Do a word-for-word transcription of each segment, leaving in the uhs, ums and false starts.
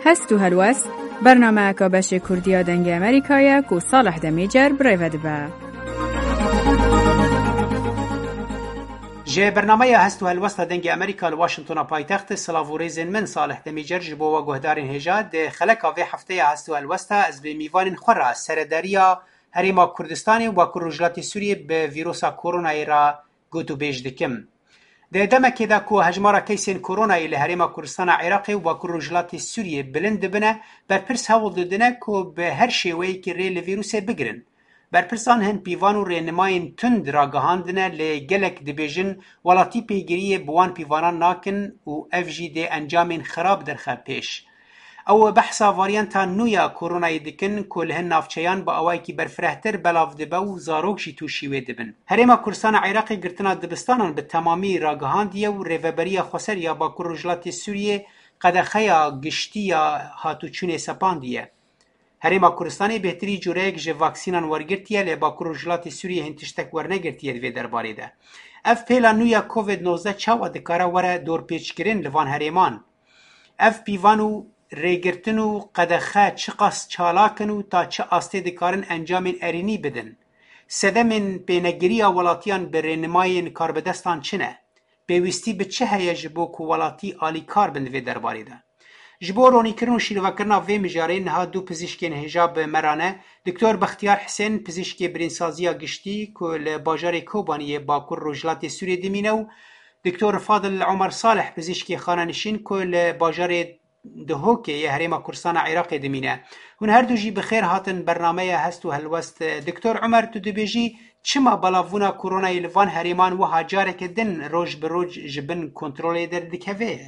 Hest û helwest, bernameyeka beşê Kurdî ya Dengê Amerîka ye ku Salih Demîcer bi rê ve dibe. Ji bernameya Hest û Helwesta Dengê Amerîka li Washingtona paytextê, silav û rêzên min Salih Demîcer ji bo we guhdarên hêja. Di xeleka vê hefteya Hest û Helwesta ez bi mîvanên xwe re seredariya Herêma Kurdistanê û Bakur Rojhilatê Sûriyê bi vîrosa koronayê re gotûbêj dikim. Di demekê de ku hejmara keysên koronayê li Herêma Kurdistana Iraqê û Bakur Rojhilatê Sûriyê bilind dibine, berpirs hewl didine ku bi her şêweyekî rê li vîrusê bigirin. Berpirsan hin pîvan û rênimayên tund ragihandine, lê gelek dibêjin welatî pêgiriyê bi wan pîvanan nakin û ev jî dê encamên xirab derxe pêş. Ew behsa varyanta nû ya koronayê dikin ku li hin navçeyan bi awayekî berfirehtir belav dibe û zarok jî tûşî wê dibin. Herêma Kurdistana Iraqê girtina dibistanan bi temamî ragihandiye û Rêveberiya Xweser ya Bakur Rojhilatê Sûriyê qedexeya giştî ya hatûçûnê sepandiye. Herêma Kurdistanê bêhtirî cureyek ji vaksînan wergirtiye, lê Bakur Rojhilatê Sûriyê hin tiştek wernegirtiye di vê derbarê de. Ev pêla nû ya Covid nozdeh çawa dikare were dorpêçkirin li van herêman? Ev pîvan û rêgirtin û qedexe çiqas çalak in û ta çi astê dikarin encamên erênî bidin? Sedemên pênegiriya welatiyan bi rênimayên karbidestan çi ne? Pêwîstî bi çi heye ji bo ku welatî alîkar bin di vê derbarê de? Ji bo ronîkirin û şîrovekirina vê mijarê niha du pizîşkên hêja bi me re ne, Doktor Bextiyar Hisên, pizîşkê birînsaziya giştî ku li bajarê Kobaniyê Bakur Rojhilatê Sûriyê dimîne û Doktor Fadil Omer Salih, pizîşkê xanenişîn ku li bajarê Dihokê yê Herêma Kurdistana Iraqê dimîne. Hûn her du jî bi xêr hatin bernameya Hest û Helwest. Doktor Omer, tu dibêjî, çima belavbûna koronayê li van herêman wiha careke din roj bi roj ji bin kontrolê derdikeve?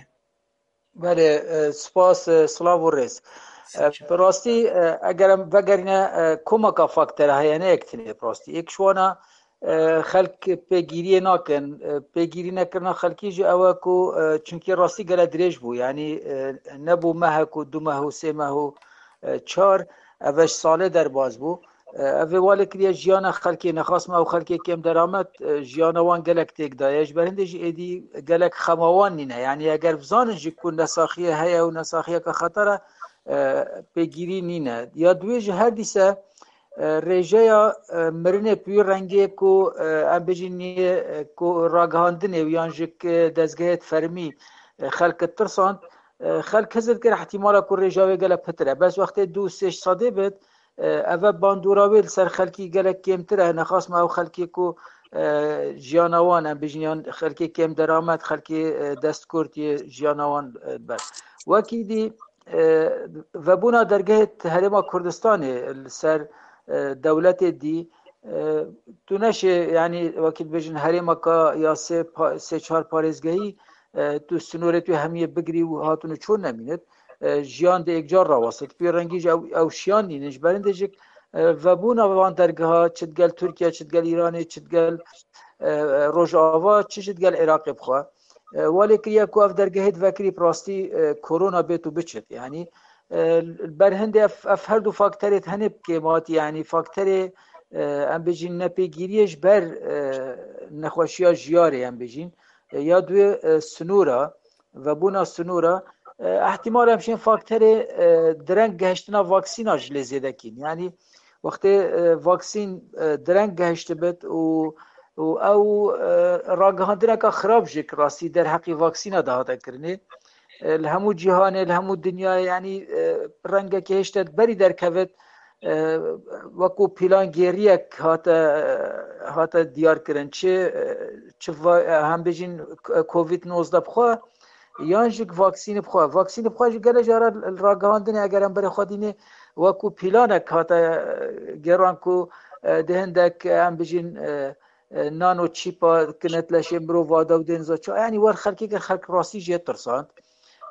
Belê, e, spas, e, silav û rêz. E, Sağ ol. Bi rastî, e, eger em vegerîne, e, komeka faktera heye, ne yek tinê bi rastî. Yek ji wana, e, xelk pêgîriyê nakin. E, pêgîrî nekirina xelkî jî ew e ku, e, çunkî rastî gele dirêj bû. Yanî, e, nebû mehek û du meh û sê meh û, e, çar, ev e ji salê derbas bû. E, ev ê wale kiriye jiyana xelkê, nexasme ew xelkê kêm deramet, e, jiyana wan gelek têk daye. Ji ber hindê jî êdî gelek xema wan nîne. Yanî eger bizanin jî ku nesaxiyê heye û nesaxiyeke xeter e, e, pêgîrî nîne. Ya duwê jî her dîse, e, rêjeya, e, mirinê bi wî rengê ku, e, em bêjin niyê, e, ku ragihandinê û yan jî ki dezgehê fermî, e, xelk tirsand, e, xelk hizir kir ihtimala ku rêja wê gelek pitir e. Bes wextê du sê sedê bit, e, eve bandora wê li ser xelkî gelek kêmtir e. Nexasme ew xelkê ku, e, jiyana wan em bêjin yan xelkê kêm deramet, xelkê, e, destkurt yê jiyana wan, e, ber. Wekî dî, e, vebûna dergehê Herêma Kurdistanê li ser, e, dewletê dî, e, tu neşê, yanî wekî dibêjin herêmeka ya sê pa-, sê çar parêzgehî, e, tu sinorê tu hemiyê bigirî û hatin û çûn nemînit. E, jiyan di êkcar rawestit. Pê rengî jî ew, ew şiyan nînin. Ji ber hindê jî, e, vebûna van dergeha çi digel Tirkiye, çi digel Îranê, çi digel, e, e, Rojava, çi jî digel Iraqê bixwe. E, welê kiriye ku ev dergehê divekirî bi rastî, e, korona bêt û biçit. Yanî, e, li ber hindê ev, ev her du fakterê tenê bi kêmatî, yanî fakterê, e, em bêjin nepêgîriyê ji ber, e, nexweşiya jiyarê em bêjin, e, ya duê, e, sinûra, vebûna sinûra, e, ihtimal em şên fakterê, e, direng gehiştina vaksîna ji lê zêde kîn. Yanî wextê, e, vaksîn, e, direng gehiştibit û û ew, e, ragihandineka xirab jî ki rastî derheqî vaksîna de hate kirinê. E, li hemû cîhanê, li hemû dinyayê, yanî, e, rengekê hêştet berî derkevit, e, wekû pîlangêriyek hate, hate diyar kirin. Çi, e, çi va-, e, em bêjin, k-, covid nozdeh bi xwe, yan jî vaksînê bi xwe. Vaksînê bi xwe jî gelek cara li ragihandinê, eger em berê xwe dînê, wekû pîlanek hate, e, gêran ku, e, di hindek, e, em bijîn, e, e, nano çîpa kinet leşê mirov vade û dêniza çi. Yanî wer xelkê kir, xelk rastî jê tirsand.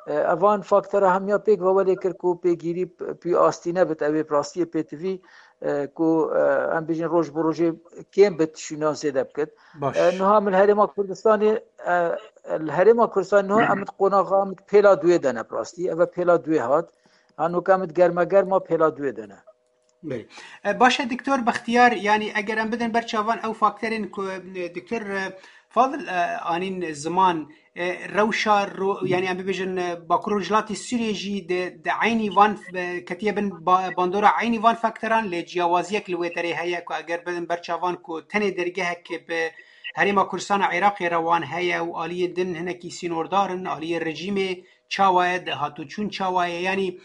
E, evan faktera hemiya pêk ve welê kir ku pêgîrî p-, pî astî nebit, ew ê bi rastiyê pêtivî, e, ku, e, em bijîn roj bi rojê kêm bit, şûna zêde bikit. Baş. E, niha min herêma Kurdistanê, e, li herêma Kurdistanê niha em di qonaxa, em di pêla duê de ne bi rastî. Eve pêla duê hat. Hanoka em di germe germa pêla duê de ne. Belê. E, baş e, Doktor Bextiyar, yanî eger em bidin ber çavan ew fakterên ku, e, Doktor, e, Fadil, e, anîn ziman, e, rewşa ro-, yani em bibêjin, e, Bakur Rojhilatê Sûriyê jî di, di eynî van, e, ketiye bin ba-, bandora eynî van fakteran, lê ciyawaziyek li wê derê heye ku eger bidin berçavan ku tenê dergehek bi Herêma Kurdistana Iraqê re wan heye û aliyên din hinekî sînordar in, aliyê rejîmê çawa ye, dahatûçûn çawa ye, yanî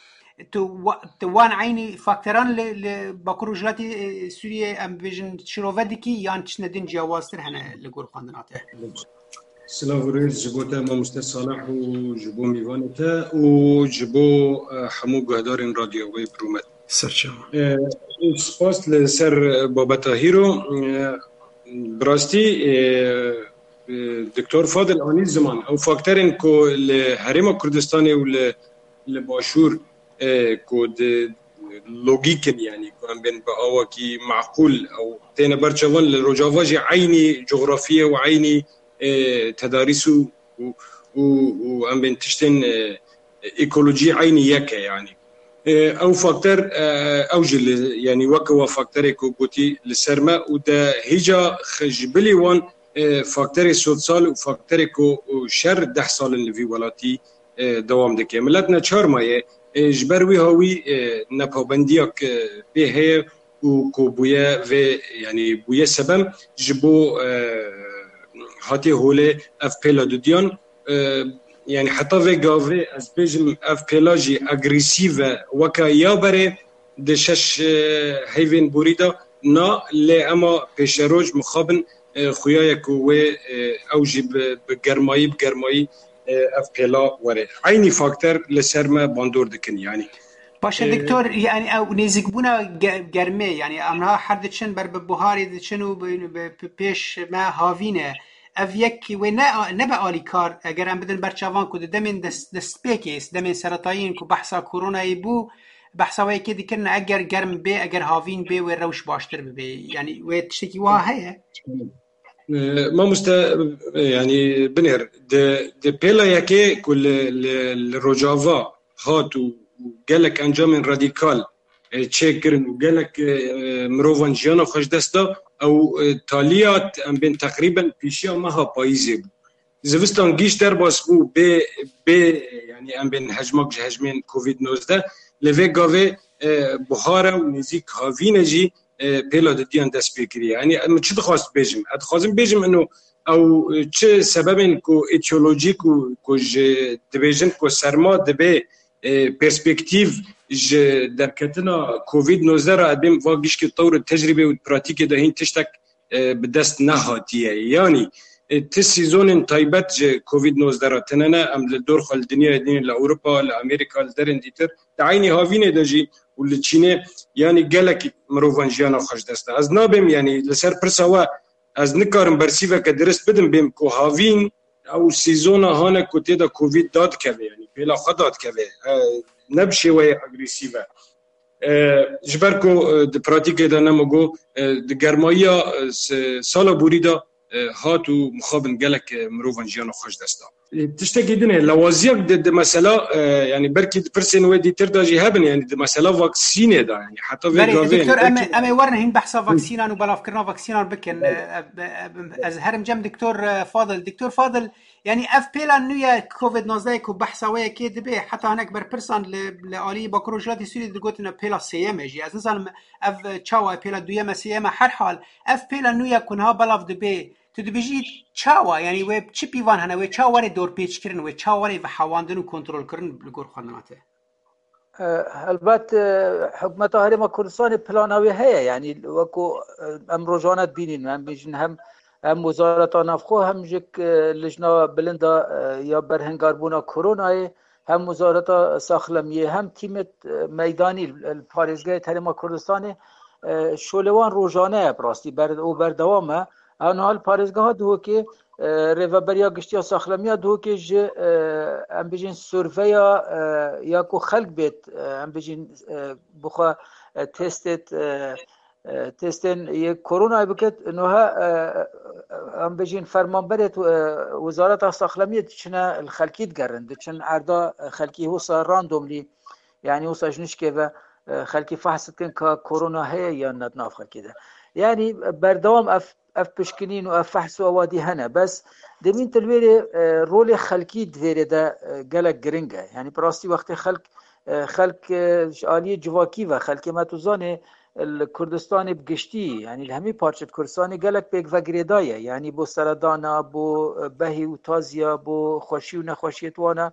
tu wa-, tu wan eynî fakteran li, li Bakur Rojhilatê, e, Sûriyê em bibêjin şirove dikî yan tiştine din ciyawaztir hene li gor xwendina te? Silav û rêz ji bo te mamoste Salih û ji bo mîvanê te û ji bo, e, hemû guhdarên radyoya wê bi rûmet. Serçava. E, spas li ser babeta hîro. E, bi rastî, e, e, Doktor Fadil anî ziman. Ew fakterên ku li Herêma Kurdistanê û li, li Başûr, e, ku di logîk in, yanî ku em bên bi awakî meqûl, ew têne ber çavan, li Rojava jî eynî coxrafî ye û eynî, e, tedarîs û, û, û, û em bên tiştên, e, ekolojî eynî yek e, yanî. E, ew fakter, e, ew jî li, yanî weke wa fakterê ku gotî li ser me û de hêja xwe ji bilî wan, e, fakterê sodsal û fakterê ku, û şer deh sal in li vî welatî, e, dewam dike. Milet neçar maye, e, ji ber wî hawî, e, nepabendiyak, e, pê heye û ku bûye vê, yanî bûye sebem ji bo, e, hatê holê ev pêla dudiyan, e, yanî heta vê gavê ez bêjim ev pêla jî agresîv e, weke ya berê di şeş, e, heyvên borî de na, lê ema pêşeroj mixabin, e, xuya ye ku wê, e, ew jî bi, bi germayî, bi germayî, e, ev pêla were. Eynî fakter li ser me bandor dikin, yanî. Baş e, Doktor, yani ew nêzîkbûna ge-, germê, yani em niha her diçin ber bi buharê diçin û bi, bi, bi pêş me havîn e. Ev yek wê ne, nebe alîkar, eger em bidin ber çavan ku di demên dest, destpêkê, demên seretayî ku behsa koronayê bû, behsa wê yekê dikirin, eger germ bê, eger havîn bê, wê rewş baştir bibê. Yani wê tiştekî wiha heye? E, mamoste, e, yani binêr, di, di pêla yekê ku li, li, li Rojava hat û, û gelek encamên radîkal, e, çêkirin û gelek, e, mirovan jiyana xwe ji dest da, ew, e, taliyat em bên teqrîben pêşiya meha payîzê bû. Zivistan gîş derbas bû bê, bê, yani em bên hejmak ji hejmên Covid nozdeh. Li vê gavê, e, buhare û nêzîk havîne jî, e, pêla didiyan dest pê kiriye. Yani em çi dixwast bêjim? Ez dixwazim bêjim ino ew çi sebebên ku etiyolojîk û ku ji dibêjin ku serma dibê, e, perspektîf ji derketina Covid nozdeh re, em bên va gişkî tewr tecrîbê û pratîkê de hîn tiştek e, bi dest nehatiye. Yanî, e, ti sîzonên taybet ji Covid nozdeh re tine ne, em li dor xwe li dinyayê dînin, li Ewropa, li Amerîka, li derên dîtir, di eynî havînê de jî û li Çînê, yanî gelek mirovan jiyana xwe ji dest da. Ez nabêm, yanî li ser pirsa we ez nikarim bersîveke dirist bidim, bêm ku havîn ew sîzona hane ku tê de Covid dadikeve, yanî pêla xwe dadikeve, e, ne bi şêweyê agresîv e. E, ji ber ku, e, di pratîkê de nemo got, e, di germayiya, e, se-, sala borî de, e, hat û mixabin gelek, e, mirovan jiyana xwe ji dest da. E, tiştekî din e, lawaziyek di, di mesela, e, yani belkî di pirsên wê dîtir de jî hebin, yani di mesela vaksînê de, yani heta vê Belê, gavê, doktor, em ê, belkî em ê werin hîn behsa vaksînan û belavkirina vaksînan bikin. Belê. E, e, e, ez herim cem doktor, e, Fadil. Doktor Fadil, Yanî ev pêla nû ye Covid nozdeh ku behsa wê yekê dibe, heta hinek berpirsan li, li alî Bakur Rojhilatê Sûriyê digotin ev pêla sêyem e jî. Ez nizanim ev çawa ye, pêla duyem e, sêyem e, her hal ev pêla nû ye ku niha belav dibe. Tu dibêjî çawa? Yanî wê çi pîvan hene? Wê çawa were dorpêçkirin? Wê çawa were vehewandin û kontrolkirin li gor xwendina te? E, helbet, e, hikûmeta Herêma Kurdistanê plana wê heye, yanî wekû, e, em rojane dibînin, em bêjin hem, hem Wezareta Navxwe, hem jî, e, Lijna Bilinda, e, ya Berhingarbûna Koronayê, hem Wezareta Saxlemiyê, hem tîmê, e, meydanî, e, li parêzgehê Herêma Kurdistanê, e, şolê wan rojane ye bi rastî ber-, û berdewam e. Ew niha li parêzgeha Duhokê, e, Rêveberiya Giştî ya Saxlemiya Duhokê ji, e, em bêjin surveya, e, ya ku xelk bêt, e, em bêjin, e, bixwe, e, testêt, e, e, testên yê koronayê bikit. Niha, e, em bêjin fermanberêt, e, Wezareta Saxlemiyê diçine li xelkî digerin, diçin erda, e, xelkî wisa randomly, yanî wisa ji nişkê ve, e, xelkî fehs dikin ka korona heye yan ne di nav xelkê de. Yanî berdewam ev ev pişkinîn û ev fehs û ewadî hene. Bes demîn tu li wêrê, e, rolê xelkî di vêrê de, e, gelek giring e. Yanî bi rastî wextê xelk, e, xelk, e, ji aliyê civakî ve, xelkê me tu zanê, li Kurdistanê bi giştî, yanî li hemî parçe di Kurdistanê gelek pêk ve girêdayî ye. Yanî bo seredana, bo, e, behî û taziya, bo xweşî û nexweşiyê wana.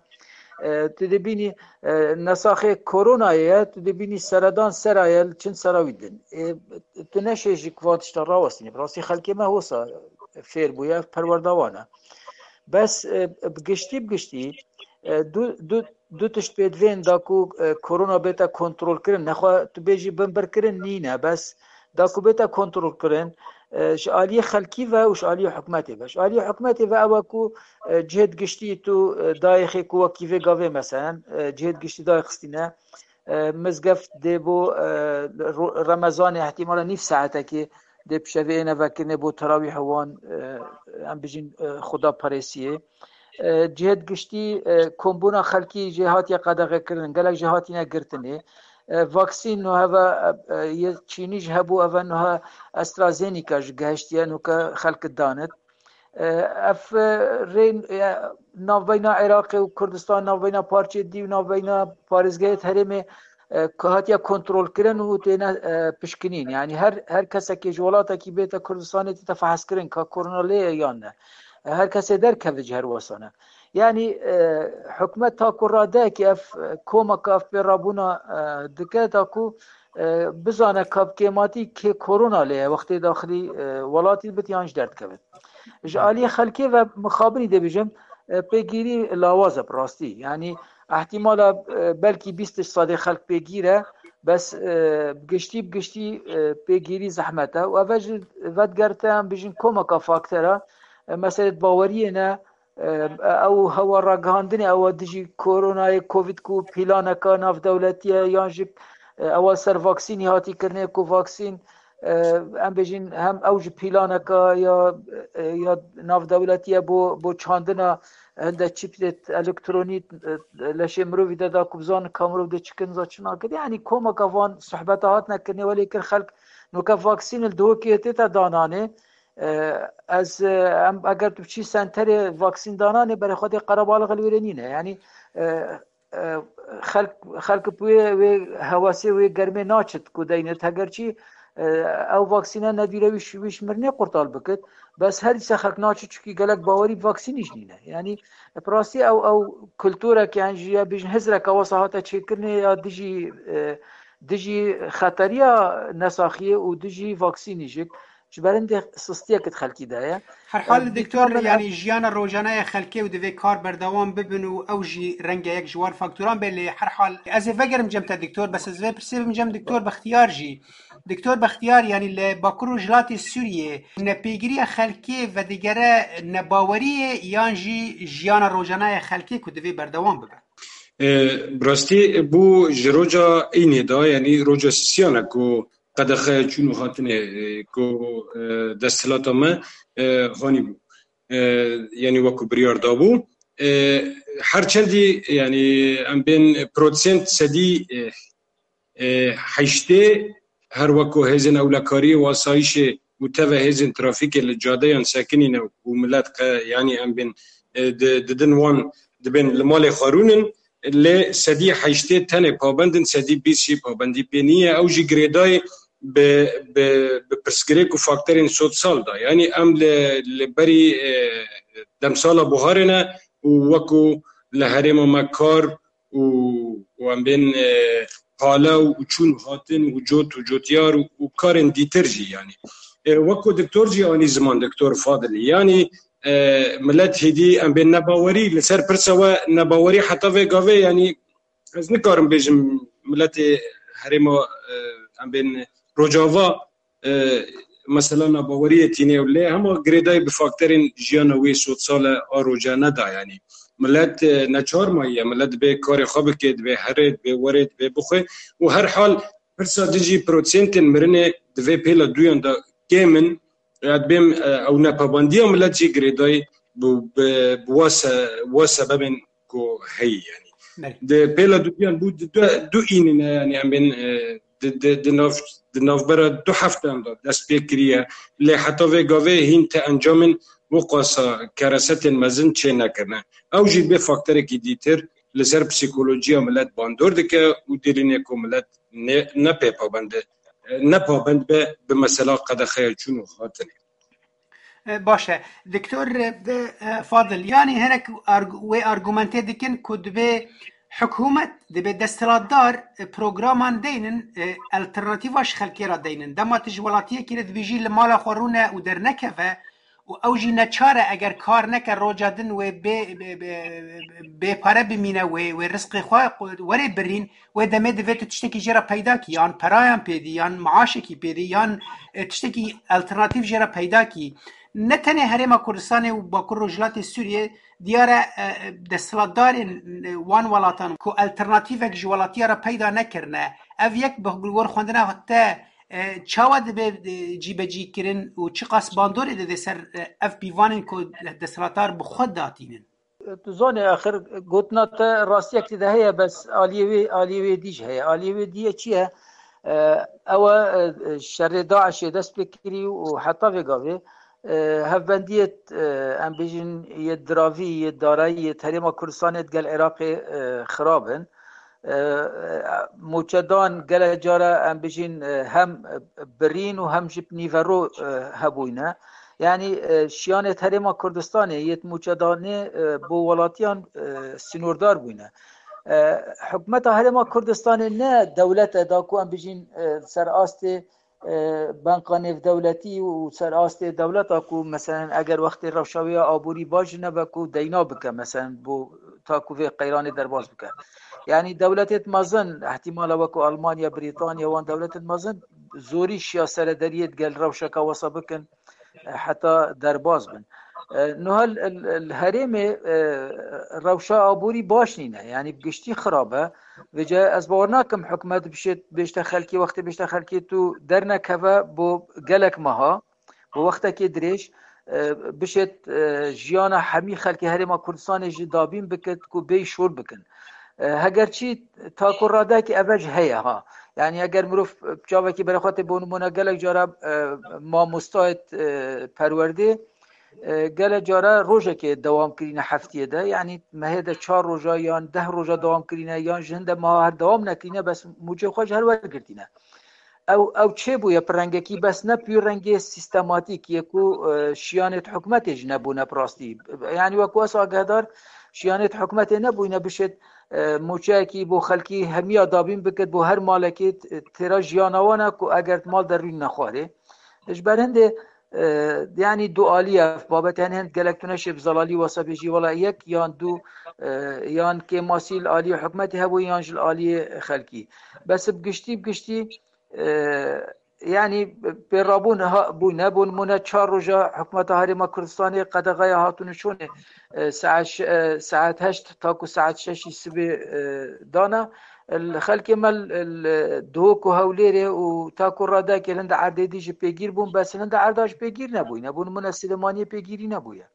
E, tu dibînî, e, nesaxê koronayê ye, tu dibînî seredan sera ye, li çend sera wî din. E, tu neşê ji van tişta rawestînî. Bi rastî xelkê me hosa fêr bûye, ev perwerda wan e. Bes, e, bi giştî, bi giştî, e, du, du, du tişt pê divên da ku, e, korona bête kontrolkirin. Nexwe tu bêjî binbirkirin nîne, bes da ku bête kontrolkirin, e, ji aliyê xelkî ve û ji aliyê hikûmetê ve. Ji aliyê hikûmetê ve ew e ku, e, cihêd giştî tu, e, dayê xê ku wekî vê gavê meselen, e, cihêd giştî dayê xistîne, e, mizgeft dê bo, e, ro-, Remezanê ihtimala nîv saetekê dê pişevê êne vekirinê bo terawîh wan, e, em bijîn, e, xuda parêsiyê. E, cihêd giştî, e, kombûna xelkî jê hatiye qedexekirin, gelek jê hatine girtinê. E, vaksîn nuheve, e, e, yê Çînî ji hebû eve nuha AstraZeneca ji gehiştiye nuke xelk danit. E, ev, e, rê, e, navbeyna Iraqê û Kurdistan, navbeyna parçê dî û navbeyna parêzgehê herêmê, e, ku hatiye kontrolkirin û têne, e, pişkinîn. Yanî her, her kesekê ji welatekî bête Kurdistanê tête fehezkirin ka korona lê ye yan ne. E, her kesê derkeve ji her wesane. Yanî, e, hikûmet ta ku radeyekî ev, e, komeka ev pê rabûna, e, dike ta ku, e, bizane ka bi kêmatî kê korona lê ye, wextê daxilî, e, welatî dibit yan ji derdikevit. Ji aliyê xelkê ve mixabinî dê bijim, e, pêgîrî lawaz e bi rastî. Yanî ihtimala, e, belkî bîst sadê xelk pêgîr e, bes, e, bi giştî, bi giştî, e, pêgîrî zehmet e. Û eve ji vedigerte em bijin komeka faktera, e, meselê baweriyê ne, e, ew hewa ragihandinê ew dijî koronayê covid ku pîlaneka navdewletî ye yan jî, e, ewa ser vaksînî hatî kirinê ku vaksîn, e, em bêjin hem ew ji pîlaneka ya, e, ya navdewletî ye bo, bo çandina hinde çîpê elektronî, e, leşê mirovî de da ku bizanin ka mirov dê çi kin za çi nakin. Yanî komeka van sohbeta hatine kirinê welê kir xelk nuke vaksîn li Duhokê tête dananê. E, ez, e, em, eger tu biçî senterê vaksîn dananê, berê xwe dê qerebalix li wêrê nîne. Yanî, e, e, xelk, xelk bi wê, wê hewasê, wê germê naçit ku deynit. Hegerçî, e, ew vaksîne nedîre wî ji, wî ji mirinê qurtal bikit. Bes her dîsa xelk naçit çikî gelek bawerî bi vaksînî jî nîne. Yanî, bi rastî ew, ew kulturek yan jî ya bijin hizreka wesa hate çêkirinê ya dijî, e, dijî xeteriya nesaxiyê û dijî vaksînî jî. Ji ber hindê sistiyek di xelkî de ye. Her hal, e, doktor, doktor, yanî jiyana rojane ya xelkê û divê kar berdewam bibin û ew jî rengeyek ji wan faktoran be, lê her hal ez ê vegerim cem te doktor, bes ez vê pirsê bim cem doktor Bextiyar jî. Doktor Bextiyar, yanî li Bakur Rojhilatê Sûriyê nepêgiriya xelkê vedigere nebaweriyê yan jî jiyana rojane ya xelkê ku divê berdewam bibe? E, bi rastî bû ji roja înê de, yanî roja sisiyane ku qedexe çûn û hatinê, e, ku, e, desthilata me, e, hanî bû. E, yanî wekî biryar dabû. E, her çendî, yanî em bên prosent sedî, e, e, heştê her wekî hêzên ewlekariyê û asayîşê û teve hêzên trafîkê li cadeyan sekinîne û milet qe-, yanî em bên, e, di-, didin wan dibên li malê xwe rûnin, lê sedî heştê tenê pabend in, sedî bîst jî pabendî pê nîne. Ew jî girêdayî bi, bi, bi pirsgirêk û faktorên sosyal de. Yanî em li, li berî, e, demsala buharê ne û wekî li herêma me kar û, û em bên, e, qala û çûn û hatin û cot û cotyar û, û karên dîtir jî yanî. E, wekî doktor jî anî ziman, doktor Fadilî. Yanî, e, milet hêdî em bên nebawerî li ser pirsa we nebawerî heta vê gavê, yanî ez nikarim bêjim miletê herêma, e, em bên Rojava, e, mesela nebaweriyê tîne û lê hema girêdayî bi faktorên jiyana wê sosyal e a rojane de, yanî milet, e, neçar maye, milet dibê karê xwe bike, dibê here, dibê were, dibê bixwe û her hal pirsa din jî prosentên mirinê di vê pêla duyan de kêm in. Ya dibêm, e, ew nepabandiya milet jî girêdayî bi, bi, bi wa se-, wa sebebên ku heyî, yanî. Belê. Di pêla duyan bû du, du, du înî ne, yanî em bên, e, di, di, di, nav, di navbera du hefteyan de dest pê kiriye. Lê heta vê gavê hîn ti encamên wiqasa keresetên mezin çê nekirine. Ew jî bê faktorekî dîtir li ser psîkolojiya milet bandor dike û derînê ku milet ne, ne pê pabend, ne pabend be bi mesela qedexeya çûn û hatinê. E, baş e. Doktor, e, e, Fadil, yanî hinek arg-, wê argumentê dikin ku dibê hikûmet, dibê desthilatdar, e, programan deynin, e, alternatîfa ji xelkê re deynin. Dema tu ji welatiyekî re dibêjî li mala xwe rûne û dernekeve û ew jî neçar e eger kar neke roja din wê bê, bê, bê, bê pare bimîne, wê, wê rizqê xwe werê birîn, wê demê divê tu tiştekî jê re peyda kî, yan perayan pêdî, yan maaşekî pêdî, yan, e, tiştekî alternatîf jê re peyda kî. Ne tenê Herêma Kurdistanê û Bakur Rojhilatê Sûriyê diyar e, e, desthilatdarên, e, wan welatan ku alternatîvek ji welatiya re peyda nekirine. Ev yek bi li gor xwendina te, e, çawa dibe, e, cîbecî kirin û çiqas bandorê dide ser, e, ev pîvanên ku desthilatdar bi xwe datînin? Tu zanî, axir gotina te rastiyek tê de heye, bes aliyê wê, aliyê wê dî jî heye. Aliyê wê dî yê çi ye? E, ew e, e, şerê DAIŞê dest pê kirî û heta vê gavê, e, hevbendiyê, e, em bêjin, yê diravî, yê darayî, yê herêma Kurdistanê digel Iraqê, e, xirab in. E, e, mûçedan gelek cara, em bêjin, e, hem birîn û hem jî nîvero, e, hebûyne. Yanî, e, şiyanê herêma Kurdistanê yê mûçedanê, e, bo welatiyan, e, sînordar bûyne. E, hikûmeta herêma Kurdistanê ne dewlet e da ku em bêjin, e, ser astê, e, banka nêvdewletî û ser astê dewleta ku, meselen, eger wextê rewşa wê ya aborî baş nebe ku deyna bike, meselen, bo ta ku vê qeyranê derbas bike. Yanî dewletêt mezin, ihtimala wekû Almanya, Brîtanya, wan dewletên mezin zorî şiya serederiyê digel rewşeka wesa bikin, e, heta derbas bin. E, niha li, li, li herêmê, e, rewşa aborî baş nîne, yanî bi giştî xirab e. Vêce ez bawer nakim hikûmet bişêt, bêjte xelkê, wextê bêjte xelkê tu dernekeve bo gelek meha, bo wextekê dirêj, e, bişêt, e, jiyana hemî xelkê herêma Kurdistanê jî dabîn bikit ku bêy şor bikin. E, hegerçî ta ku radekî eve jî heye ha. Yanî eger mirov çavekî berê xwe tê, bo nimûne gelek cara, e, mamostayêt, e, perwerdê, e, gelek cara rojekê dewam kirîne heftiyê de. Yanî mehê de çar roja yan deh roja dewam kirîne, yan ji hinde meha her dewam nekirîne, bes mûçê xwe ji her wergirtîne. Ew, ew çêbûye bi rengekî, bes ne bi rengê sîstematîk yê ku, e, şiyanêt hikûmetê jî nebûne bi rastî. Yanî wekû ez agehdar, şiyanêt hikûmetê nebûyne bişêt, e, mûçeyekî bo xelkî hemiya dabîn bikit, bo her malekê t-, têra jiyana wan e ku eger mal derûn nexwarê. Ji ber hindê, e, yanî du alî ye ev babet, yanî hind gelek tu neşê bi zelalî wesa bêjî, wela yek yan du, e, yan kêmasî li aliyê hikûmetê hebû yan jî li aliyê xelkî. Bes bi giştî, bi giştî, e, yanî pêrabûn ha-, bûne, bo nimûne çar roja hikûmeta Herêma Kurdistanê qedexeya hatûn û çûnê, e, saet ş-, e, saet heşt ta ku saet şeşî sibê, e, dana. Li xelkê me li, li Duhok û Hewlêrê û ta ku radekê li hinde erdê dî jî pêgîr bûn, bes li hinde erda jî pêgîr nebûyne. Bo nimûne Silêmaniyê pêgîrî nebûye.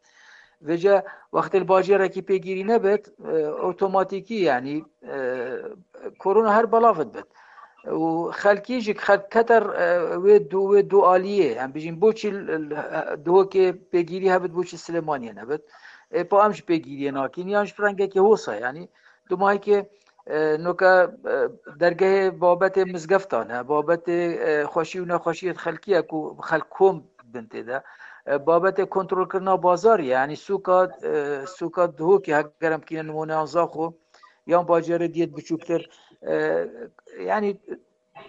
Vêce wextê li bajêrekî pêgîrî nebit, e, otomatîkî, yanî, e, korona her belav dibit. Û xelkî jî, xelk kete, e, wê du, wê du aliyê, em bijîn, boçî l-, l-, Duhokê pêgîrî hebit, boçî Silêmaniyê nebit. E, pa em jî pêgîriyê nakin, yan jî bi rengekî hosa, yanî dumahîkê, e, noke, e, dergehê babetê mizgeftan e, babetê, e, xweşî û nexweşiyê xelkî ye ku xelk kom bin tê de. E, babetê kontrolkirina bazarî ye, yanî sûka, e, sûka Duhokê heger em bikîne nimûne, yan Zaxo, yan bajêrê diyê biçûktir. E, yanî,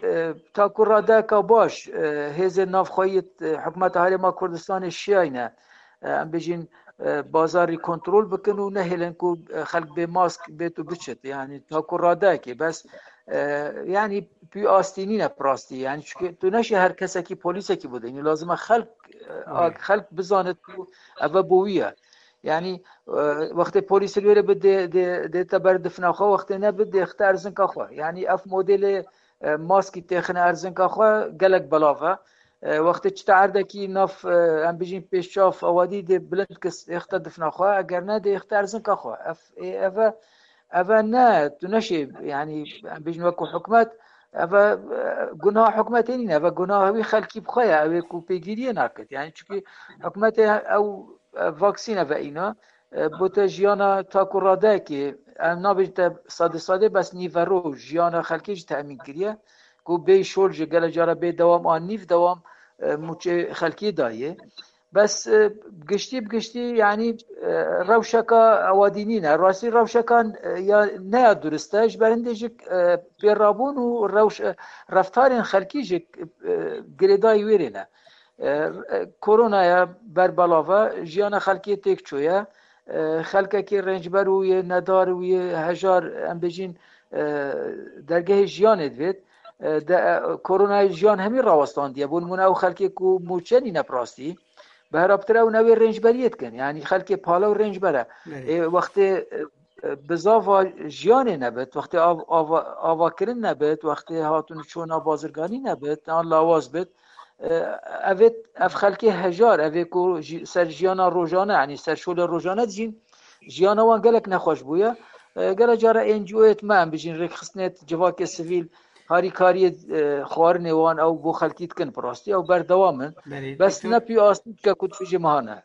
e, ta ku radeyeka baş, e, hêzên navxweyî, e, hikûmeta Herêma Kurdistanê şiyayne, e, em bijîn, e, bazarî kontrol bikin û nehêlin ku, e, xelk bê mask bêt û biçit. Yanî ta ku radeyekê bes, e, yanî pî astî nîne bi rastî. Yanî çunke tu neşê her kesekî polîsekî bidînî. Lazim e xelk, e, a-, xelk bizanit ku eve bo wî ye. Yanî, e, wextê polîs li wê re bi dê, dê, dê te ber difna xwe, wextê ne bi dê xite erzinka xwe. Yanî ev modelê, e, maskî têxine erzinka xwe gelek belav e. E, wextê çi te erdekî nav, e, em bijîn pêşçav, ewadî dê bilind kis êxte difna xwe, eger ne dê êxte erzinka xwe. Ev, ê, eve, eve ne, tu neşê, yanî em bijîn wekû hikûmet, Ev e, gunaha hikûmetê nîne, ev gunaha wî xelkî bi xwe ye, ew ê ku pêgîriyê nakit. Yani çunkî hikûmetê ew, e, vaksîn ev îna, e, bote jiyana taku radeyekê, em nabêjin te sade sade, bes nîvero jiyana xelkê jî temîn kiriye, ku bê şol ji gele cara bê dewam an nîv dewam, e, mûçê xelkê daye. Bes, e, giştî bi giştî, yani, e, rewşeka ewadî nîne. Rastî rewşeka, e, ya, ne ya durist e, ji ber hindê jî, e, pêrabûn û rewş-, e, reftarên xelkî jî, e, girêdayî wê rê ne. E, e, koronaya berbelav e, jiyana xelkê têk çûye. E, xelkekî rêncber û yê nedar û yê hejar, em bêjin, e, dergehê jiyanê divêt. E, de, e, koronayê jiyan hemî rawestandiye. Bo nimûne ew xelkê ku mûçe nîne bi rastî, bi heraptir ew newê rêncberiyê dikin. Yani xelkê pale û rêncber e. Belê. Ê, wextê, e, e, bizava jiyanê nebit, wextê av-, ava-, avakirin nebit, wextê hatûn û çûna bazirganî nebit, an lawaz bit, e, evê, ev xelkê hejar, evê ku ji-, ser jiyana rojane, yani ser şolê rojane dijîn, jiyana wan gelek nexweş bûye. E, gele cara N G O'yê me, em bijîn rêkxistinê civakê sivîl, harîkariyê, e, xwarinê wan ew bo xelkî dikin bi rastî, ew berdewam in. Belê, Bes doktor. Ne pî astî dike ku di vijê mehane.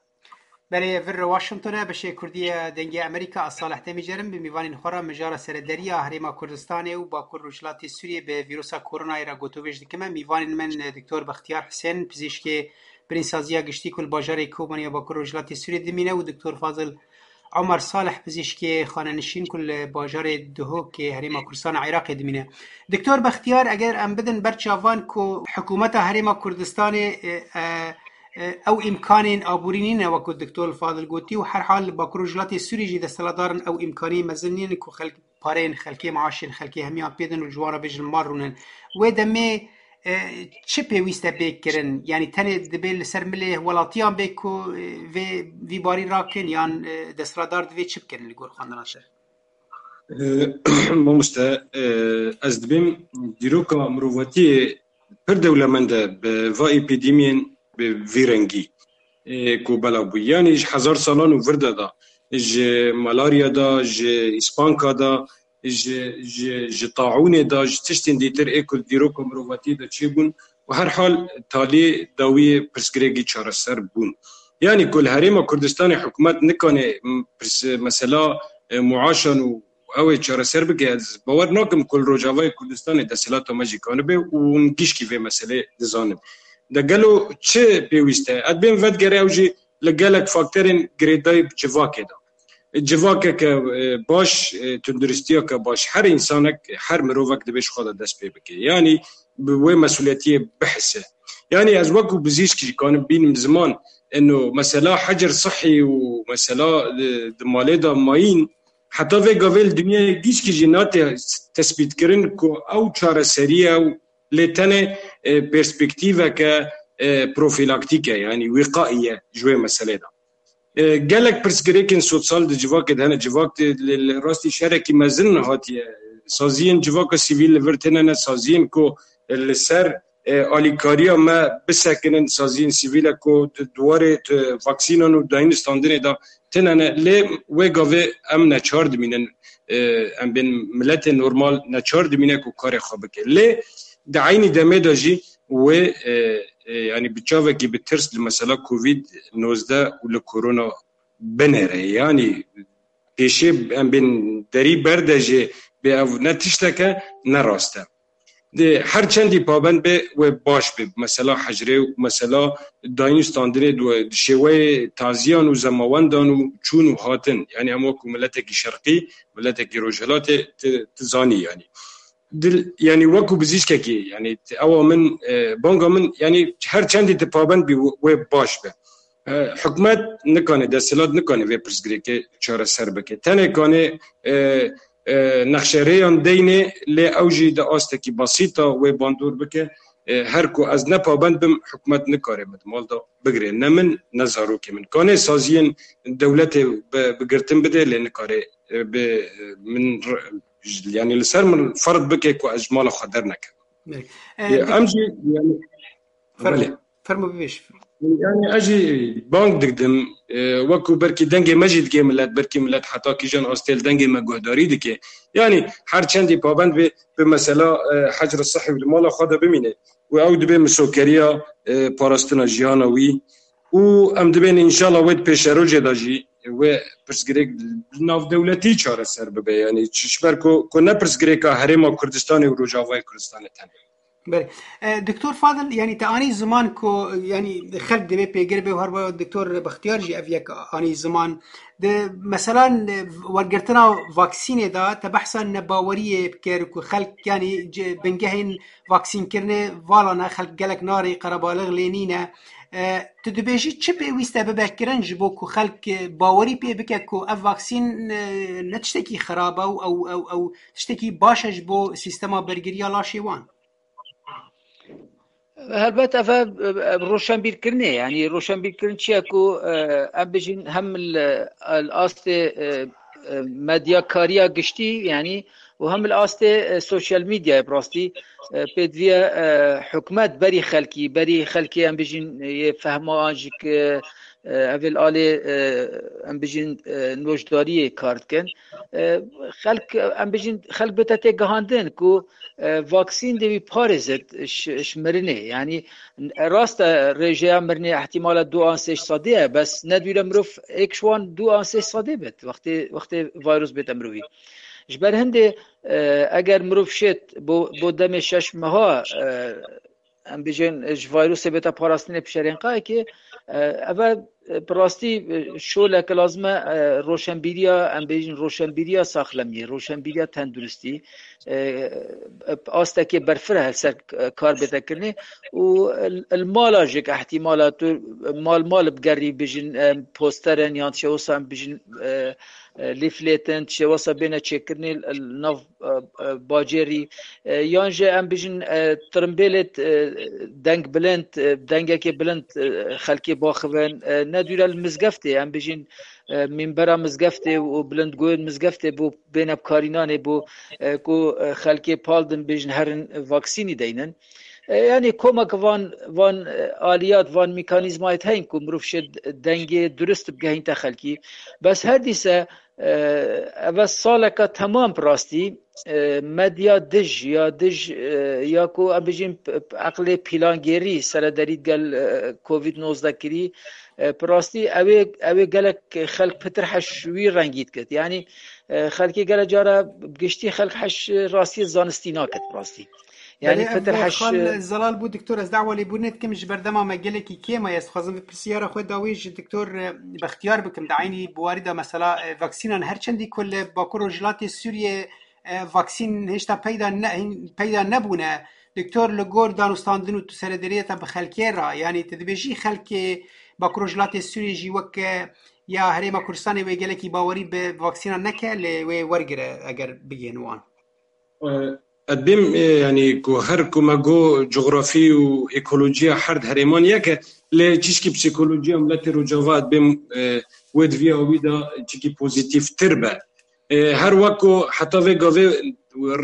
Belê, vir Washington e, beşê Kurdî ye Dengê Amerîka, ez Salih Demîcer im, bi mîvanên xwe re mijara serederiya Herêma Kurdistanê û Bakur Rojhilatê Sûriyê bi vîrusa koronayê re gotovêj dikim. Mîvanên min, e, Doktor Bextiyar Hisên, pizîşkê birînsaziya giştî ku li bajarê Kobanê ya Bakur Rojhilatê Sûriyê dimîne û Doktor Fazil Omer Salih, pizîşkê xanenişîn ku li bajarê Duhokê Herêma Kurdistana Iraqê dimîne. Doktor Bextiyar, eger em bidin ber çavan ku hikûmeta Herêma Kurdistanê, e, e, e, ew îmkanên aborî nîne, wekû Doktor Fadil gotî, û herhal li Bakur Rojhilatê Sûrî jî desthilatdar in, ew îmkaniyê mezin nîne ku xelk pareyên xelkê, maaşên xelkê hemiyan pê din û ji wan re bêjin mal rûnin. Wê demê, e, çi pêwîst e bê kirin? Yanî tenê dibê li ser milê welatiyan bê ku, e, vê, vî barî rakin, yan, e, desthilatdar divê çi bikin li gor xwendina te? E, mamoste, e, ez dibêm dîroka mirovatiyê pir dewlemend e bi va epîdemiyên bi vî rengî, e, ku belav bû. Yanî ji hezar salan û vir de da, ji malarya da, ji îspanka da, ji, ji, ji taûnê da, ji tiştên dîtir ê ku dîroka mirovatiyê de çêbûn û herhal talê dawiyê pirsgirêkî çareser bûn. Yanî ku li Herêma Kurdistanê hikûmet nikane, m, pirs-, mesela, e, muaşan û ew ê çareser bike, ez bawer nakim ku li Rojavayê Kurdistanê desthilata me jî kanibe û hûn gişkî vê meselê dizanin. De gelo çi pêwîst e? Ez dibêm vedigere ew jî li gelek faktorên girêdayî bi civakê de. Civakeke, e, baş, e, tunduristiyeke baş, her însanek, her mirovek divê ji xwe de dest pê bike. Yanî bi wê mesuliyetiyê bihise. Yanî ez wekû bizîşk jî kanim bînim ziman, eno mesela hecir sihî û mesela, e, di malê de mayîn, heta vê gavê li dinyayê gişkî jî nate tespîtkirin ku ew çareseriye ew lê tenê, e, perspektîveke, e, profilaktîk e, yanî wîqaî ye ji wê meselê de. E, gelek pirsgirêkên sosyal di civakê de hene. Civak di, li, li rastî şerekî mezin hatiye. Saziyên civaka sivîl li vir têne ne, saziyên ku, e, li ser, e, alîkariya me bisekinin, saziyên sivîl e ku di, di warê, di vaksînan û dayîn standinê de têne ne. Lê wê gavê em neçar dimînin, e, em bên miletê normal neçar dimîne ku karê xwe bike. Lê di eynî demê de jî wê, e, e, yanî bi çavekî bi tirs li mesela Covid nozdeh û li korona binêre. Yanî pêşê em bên derî berde jê bê ev ne tişteke ne rast e. Di her çendî pabend be wê baş be. Mesela hecrê û mesela dayîn standinê di, di şêweyê taziyan û zemawendan û çûn û hatin. Yanî em wekû miletekî şerqî, miletekî rojhilatê ti, ti zanî yanî. Dil, yanî wekû bizîşkekî, yanî ewa min, e, banga min, yanî her çendî tu pabend bî wê baş be. E, hikûmet nikane, desthilat nikane vê pirsgirêkê çareser bike. Tenê kane, e, e, nexşerêyan deyne, lê ew jî di astekî basîta wê bandor bike. E, her ku ez ne pabend bim, hikûmet nikare min di mal de bigire. Ne min, ne zarokê min. Kane saziyên dewletê bi, bi girtin bide, lê nikare, e, bi, min r-, yanî li ser min ferz bike ku ez ji mala xwe dernekim. Belê. E, Em jî, yanî, fermo, belê. Fermo bibêj. Yani ez jî bang digidim, e, wekû belkî dengê me jî digê millet, belkî millet heta kîjan astê li dengê me guhdarî dike. Yani her çendî pabend bê bi mesela, e, hecr sihî û li mala xwe de bimîne. Û ew dibe misokeriya, e, parastina jiyana wî. Û em dibên înşallah wê di pêşerojê de jî wê pirsgirêk navdewletî çareser bibe. Yani ji ber ku, ku ne pirsgirêka Herêma Kurdistanê û Rojavayê Kurdistanê tenê. Belê. E, Doktor Fadil, yani te anî ziman ku, yani xelk divê pêgir be û her wiha Doktor Bextiyar jî ev yek anî ziman. Di mesela, e, wergirtina vaksînê de te behsa nebaweriyê bikir ku xelk, yani ci-, bingehên vaksînkirinê vala ne, xelk gelek narê qerebalix lê nîne. E, tu dibêjî çi pêwîst e bibe kirin ji bo ku xelk, e, bawerî pê bike ku ev vaksîn, e, ne tiştekî xirab e û ew, ew, ew tiştekî baş e ji bo sîstema bergiriya laşê wan? Helbet ev e, e, roşenbîrkirinê, yani roşenbîrkirin çi ye ku, e, em bijîn hem li, li astê, e, e, medyakariya giştî, yani û hem li astê, e, sosyal medyayê bi rastî, e, pêdiviye, e, hikûmet berî xelkî, berî xelkê em bijîn, e, yê fehma an jî ki, e, ev ê li alê, e, em bijîn, e, nojdariyê kar dikin. E, xelk, em bijîn, xelk bête têgihandin ku, e, vaksîn dê wî parêzit ji, ji mirinê. Yani rast e, rêjeya mirinê ihtimala du an sê sedê ye, bes ne dûre mirov êk ji wan du an sê sedê bit, wextê, wextê virus bête mirovî. Ji ber hindê, e, eger mirov şêt bo, bo demê şeş meha, e, em bijên, e, ji virusê bête parastinê pişerên qayekê, e, ev e, bi rastî, e, şoleke lazim e, e, roşenbîriya, em bijîn roşenbîriya saxlemiyê, roşenbîriya tenduristî, e, e, astekê berfireh li ser, e, kar bête kirinê û li, li mala jî ihtimala tu mal mal bigerî bijin, e, posterin yan şewsa em bijin, e, e, lîflêtin, şewsa bêne çêkirinê li nav, e, e, bacêrî, e, yan jî em bijin, e, tirimbêlê, e, deng bilind, e, dengekê bilind, e, xelkê baxivin, e, ne dûre li mizgeftê, em bijin, e, mînbera mizgeftê û bilindgoyên mizgeftê bo bêne bikarînanê bo, e, ku, e, xelkê pal din bijin herin vaksînî deynin. E, yani komek van, van, e, aliyat, van mekanîzmayê heyîn ku mirov şê dengê durist bigehînte xelkî. Bes her dîse, e, eve saleka temam bi rastî, e, medya dij ya dij, e, ya ku em bijîn p-, p-, eqlê pîlangêrî serederî gel, e, covid nozdeh kirî, e, bi rastî ew ê, ew ê gelek xelk pitir heş wî rengî dikit. Yani, e, xelkê gele cara giştî xelk heş rastiyê zanistî nakit bi rastî. Yani Belê, ev pitir heş xal zelal bû, doktor, ez dawa lêbûrinê dikim, ji ber dema me gelekî kêm e. Ez dixwazim vê pirsiyara xwe dawî ji doktor, e, Bextiyar bikim. Di eynî biwarî de mesela, e, vaksînan her çendî ku li Bakur Rojhilatê Sûriyê, e, vaksîn hêşta peyda ne-, hîn peyda nebûne. Doktor, li gor danûstandin û tu serederiya te bi xelkê re, yanî tu dibêjî xelkê Bakur Rojhilatê Sûriyê jî wek, e, ya Herêma Kurdistanê wê gelekî bawerî bi vaksînan neke, lê wê wergire eger bigihên wan. E, ez dibêm, e, yani ku her ku me got cografî û ekolojiya her di herêman yek e, lê çişkî psîkolojiya miletê Rojava ez dibêm, e, wê di vî awî de çikî pozîtîftir be. E, her wek ku heta vê gavê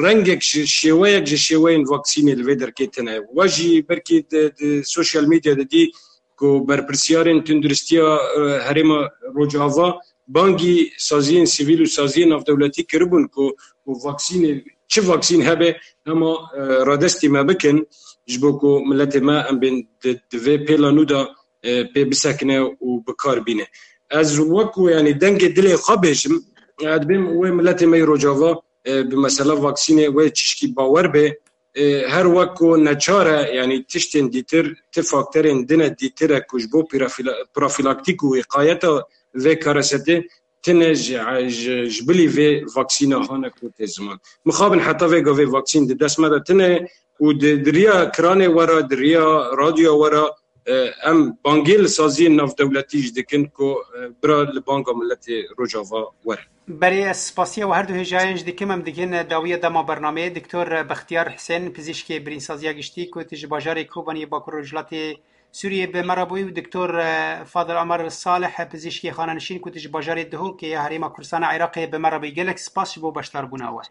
rengek ji, şêweyek ji şêweyên vaksînê li vê derkê tune. We jî belkî di, di sosyal medya de dî ku berpirsiyarên tunduristiya, e, herêma Rojava bangî saziyên sivîl û saziyên navdewletî kiribûn ku, ku vaksînê, çi vaksîn hebe hema, e, radestî me bikin, ji bo ku miletê me em bên di, di vê pêla nû de, e, pê bisekine û bi kar bîne. Ez wekû, yani, dengê dilê xwe bêjim, ez dibêm wê miletê me yê Rojava, e, bi mesela vaksînê wê çişkî bawer bê, e, her wek ku neçar e, yani tiştên dîtir, ti faktorên din e dîtir e ku ji bo pirafila-, profilaktîk û wîqayeta vê karesetê tine ji, ji, ji bilî vê vaksîna hane ku tê ziman. Mixabin heta vê gavê vaksîn di dest me de tine û di, di riya kiranê we re, di riya radyoya we re, e, em bangê li saziyên navdewletî jî dikin ku, e, bira li banga miletê Rojava werin. Berê ez spasiya we her du hêjayên jî dikim. Em digihên dawiya dema bernameyê. Doktor Bextiyar Hisên, pizîşkê birînsaziya giştî ku tu ji bajarê Kobaniyê Bakur Rojhilatê Sûriyê bi me re bûyî û Doktor, e, Fadil Omer Salih, pizîşkê xanenişîn ku tu ji bajarê Duhokê ya Herêma Kurdistana Iraqê bi me re bûyî. Gelek spas ji bo beşdarbûna we.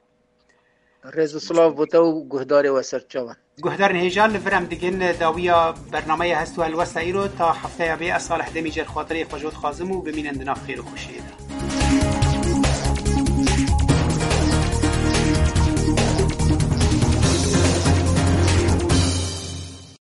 Rêz û silav bo te û guhdarê we ser çavan. Guhdarên hêja, li vir em digin dawiya bernameya hest û helwesta îro. Ta hefteya bê, ez Salih Demîcer xatirê xwe ji we dixwazim û bimînin di nav xêr û xweşiyê de.